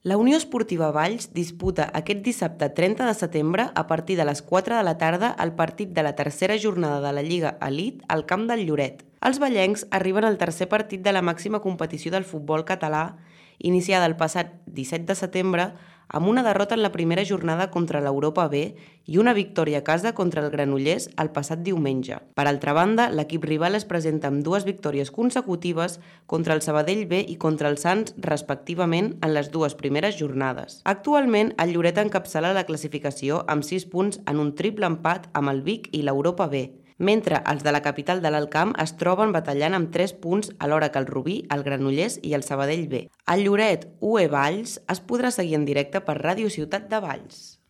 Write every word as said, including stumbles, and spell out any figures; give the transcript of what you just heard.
La Unió Esportiva Valls disputa aquest dissabte trenta de setembre a partir de les quatre de la tarda el partit de la tercera jornada de la Lliga Elite al camp del Lloret. Els vallencs arriben al tercer partit de la màxima competició del futbol català, iniciada el passat disset de setembre, amb una derrota en la primera jornada contra l'Europa B i una victòria a casa contra el Granollers el passat diumenge. Per altra banda, l'equip rival es presenta amb dues victòries consecutives contra el Sabadell B i contra el Sants, respectivament, en les dues primeres jornades. Actualment, el Lloret encapçala la classificació amb sis punts en un triple empat amb el Vic i l'Europa B, mentre els de la capital de l'Alt Camp es troben batallant amb tres punts alhora que el Rubí, el Granollers i el Sabadell B. El Lloret U E Valls es podrà seguir en directe per Ràdio Ciutat de Valls.